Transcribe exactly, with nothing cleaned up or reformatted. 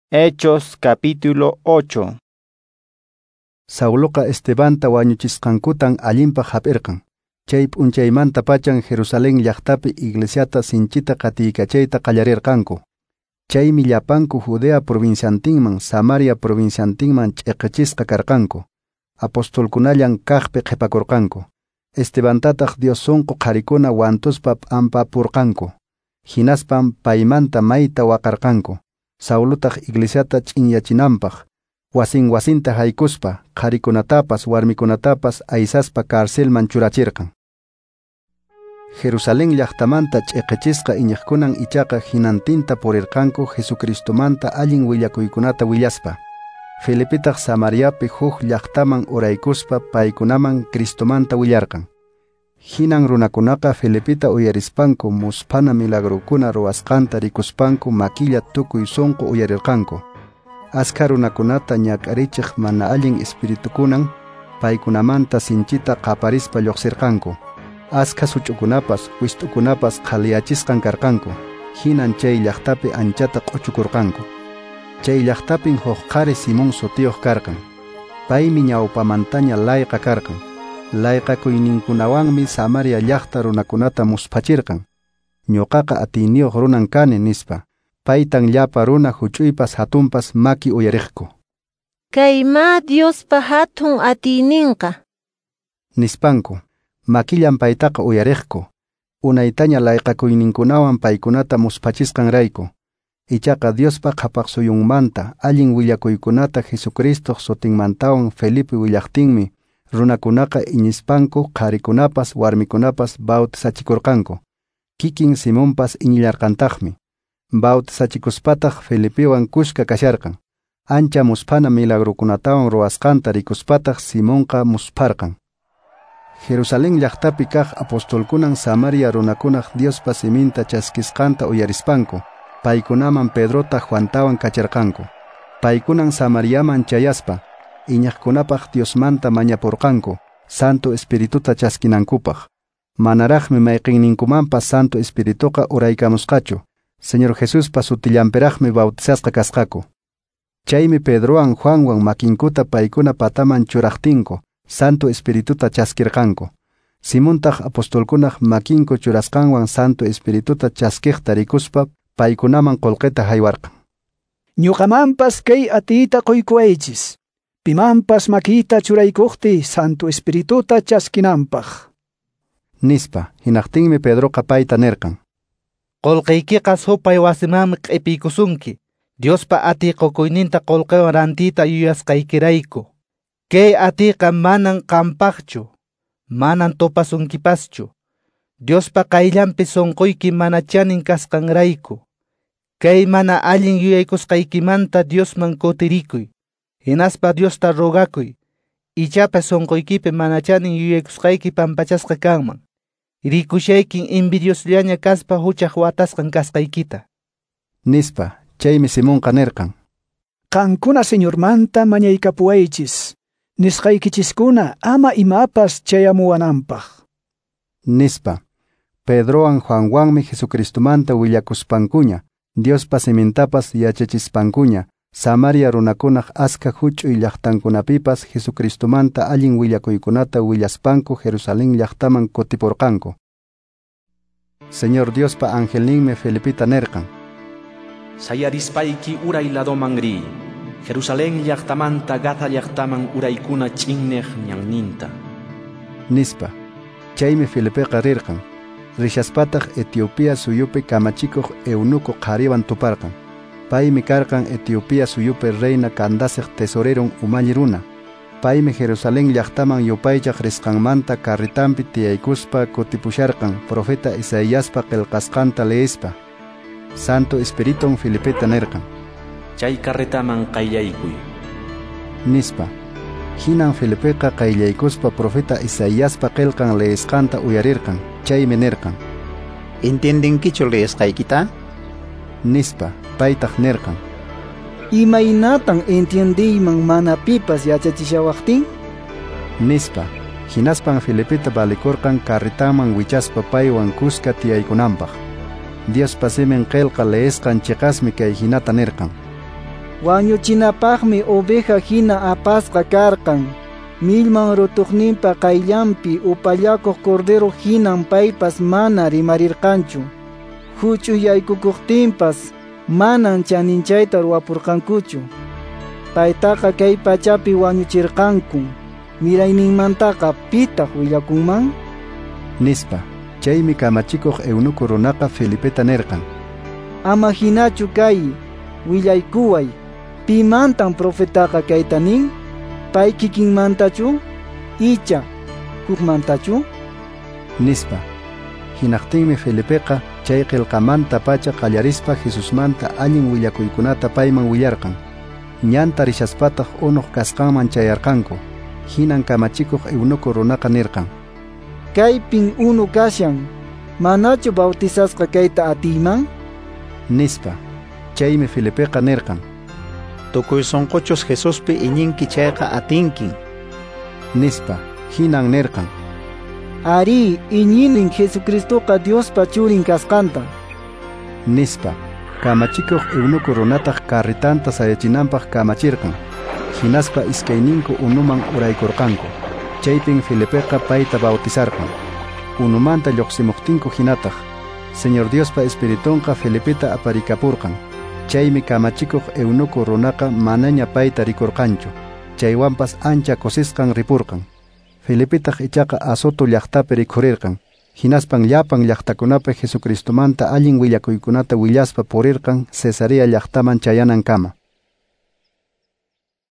Hechos capítulo ocho. Sauloqa Estebanta wañuchisqankutan allinpaq hap'irqan. Chay p'unchaymanta pachan Jerusalén llaqtapi iglesiata sinchita qatiykachayta qallarirqanku. Chaymi llapanku Judea provinciantinman, Samaria provinciantinman ch'iqichisqa karqanku. Apostolkunallan kaqpi qhipakurqanku. Estebantataq Dios sunqu qharikuna wantuspa p'ampapurqanku. Hinaspan paymanta mayta waqarqanku. Saulotaq iglesiata ch'inyachinanpaq, wasin wasinta haykuspa, qharikunatapas warmikunatapas aysaspa carcelman churachirqan. Jerusalén llaqtamanta ch'iqichisqa iñiqkunan ichaqa hinantinta purirqanku Jesucristomanta allin willakuykunata willaspa. Felipetaq Samariapi huk llaqtaman uraykuspa paykunaman Cristomanta willarqan. Hinan runakunaqa Felipeta uyarispanku musphana milagrokuna ruwasqanta rikuspanku makilla tukuy sunqu uyarirqanku. Askha runakunata ñak'arichiq mana allin espiritukunan paykunamanta sinchita qaparispa lluqsirqanku. Askha such'ukunapas wist'ukunapas qhaliyachisqan karqanku. Hinan chay llaqtapi anchata q'uchukurqanku. Chay llaqtapin huk qhari Simón sutiyuq karqan. Paymi ñawpamantaña layqa karqan. Layqakuyninkunawanmi Samaria llaqta runakunata musphachirqan. Ñuqaqa atiyniyuq runan kani nispa. Paytan llapa runa huch'uypas hatunpas maki uyariqku. Kayma Diospa hatun atiyninqa, nispanku. Makillan paytaqa uyariqku. Unaytaña layqakuyninkunawan paykunata musphachisqanrayku. Ichaqa Diospa qhapaqsuyunmanta allin willakuykunata Jesucristoq sutinmantawan Felipe willaqtinmi runakunaqa iñispanku qharikunapas warmikunapas bautizachikurqanku. Kikin Simonpas iñillarqantaqmi. Bautizachikuspataq Felipewan kuska kasharqan. Ancha musphana milagrokunatawan ruwasqanta rikuspataq Simonqa muspharqan. Jerusalén llaqtapi kaq apostolkunan Samaria runakunaq Diospa siminta chaskisqanta uyarispanku paykunaman Pedrota Juantawan kacharqanku. Paykunan Samariaman chayaspa iñaqkunapaq Diosmanta mañapurqanku Santo Espirituta chaskinankupaq. Manaraqmi mayqinninkumanpas Santo Espirituqa uraykamusqachu. Señor Jesuspa sutillanpiraqmi bautizasqa kasqaku. Chaymi Pedrowan Juanwan makinkuta paykuna pataman churaqtinku Santo Espirituta chaskirqanku. Simontaq apostolkunaq makinku churasqanwan Santo Espirituta chaskiqta rikuspa paykunaman qullqita haywarqan. Ñuqamanpas kay atiyta quykuwaychis. Pimanpas makita churaykuqti Santo Espirituta chaskinanpaq, nispa. Hinaqtinmi Pedroqa payta nirqan: Qullqiykiqa supay wasimanmi q'ipiykusunki. Diospa atiy qukuyninta qullqiwan rantiyta yuyasqaykirayku. Kay atiyqa manan qampaqchu, manan tupasunkipaschu. Diospa qayllanpi sunquyki mana chanin kasqanrayku. Kay mana allin yuyaykusqaykimanta Diosman kutirikuy. Hinaspa Diosta rogakuy. Ichapas sunquykipi mana chanin yuyaykusqayki pampachasqa kanman. Rikushaykin envidiosllaña kaspa huchaq watasqan kasqaykita, nispa. Chaymi Simonqa nirqan: Qankuna Señormanta mañaykapuwaychis, nisqaykichiskuna ama imapas chayamuwananpaq, nispa. Pedrowan Juanwanmi Jesucristomanta willakuspankuña, Diospa simintapas yachachispankuña, Samaria runakunaq askha huch'uy llaqtankunapipas Jesucristomanta allin willakuykunata willaspanku Jerusalén llaqtaman kutipurqanku. Señor Diospa angelninmi Felipeta nirqan: Sayarispayki uray ladoman riy, Jerusalén llaqtamanta Gaza llaqtaman uraykuna ch'inneq ñanninta, nispa. Chaymi Felipeqa rirqan. Rishaspataq Etiopía suyupi kamachikuq eunuco qhariwan tuparqan. Paymi karqan Etiopía suyupi reina Candaceq tesoreron umalli runa. Paymi Jerusalén llaqtaman yupaychaq risqanmanta carretanpi tiyaykuspa kutipusharqan profeta Isaiaspa qillqasqanta leespa. Santo Espiritun Felipeta nirqan: Chay carretaman qayllaykuy, nispa. Hinan Felipeqa qayllaykuspa profeta Isaiaspa qillqan leesqanta uyarirqan. Chaymi nirqan: ¿Entiendenkichu leesqaykita? nispa. Paytaq nirqan: Imaynatan entiendiyman mana pipas yachachishawaqtin? nispa. Hinaspan Felipeta valikurqan carretaman wichaspa paywan kuska tiyaykunanpaq. Diospa simin qillqa leesqan chiqasmi kay hinata nirqan: Wañuchinapaqmi oveja hina apasqa karqan. Millman rutuqninpa qayllanpi upallakuq cordero hinan paypas mana rimarirqanchu. Huch'uyaykukuqtinpas manan chaninchayta ruwapurqankuchu. Paytaqa kay pachapi wañuchirqanku. Mirayninmantaqa pitaq willakunman? Nispa. Chaymi kamachikuq eunuco runaqa Felipeta nirqan: Ama hinachu kay, willaykuway. Pimantan profetaqa kayta nin? Pay kikinmantachu? Icha hukmantachu? Nispa. Hinaqtinmi Felipeqa chay qillqamanta pacha qallarispa Jesusmanta allin willakuykunata payman willarqan. Ñanta rishaspataq unuq kasqanman chayarqanku. Hinan kamachikuq eunuco runaqa nirqan: Kaypin unu kashan, manachu bautizasqa kayta atiyman? Nispa. Chaymi Felipeqa nirqan: Tukuy sunquchus Jesuspi iñinki chayqa atinkin. Nispa. Hinan nirqan: Ari, iñinin Jesucristoqa Diospa churin kasqanta. Nispa. Kamachikuq eunuco runataq carretanta sayachinanpaq kamachirqan. Hinaspa iskayninku unuman uraykurqanku. Chaypin Felipeqa payta bautizarqan. Unumanta lluqsimuqtinku hinataq, Señor Diospa Espiritunqa Felipeta aparikapurqan. Chaymi kamachikuq eunuco runaqa manaña payta rikurqanchu. Chaywanpas ancha kusisqan ripurqan. Felipetaq ichaqa Azoto llaqtapi rikhurirqan. Hinaspan llapan llaqtakunapi Jesucristomanta allin willakuykunata willaspa purirqan Cesarea llaqtaman chayanankama.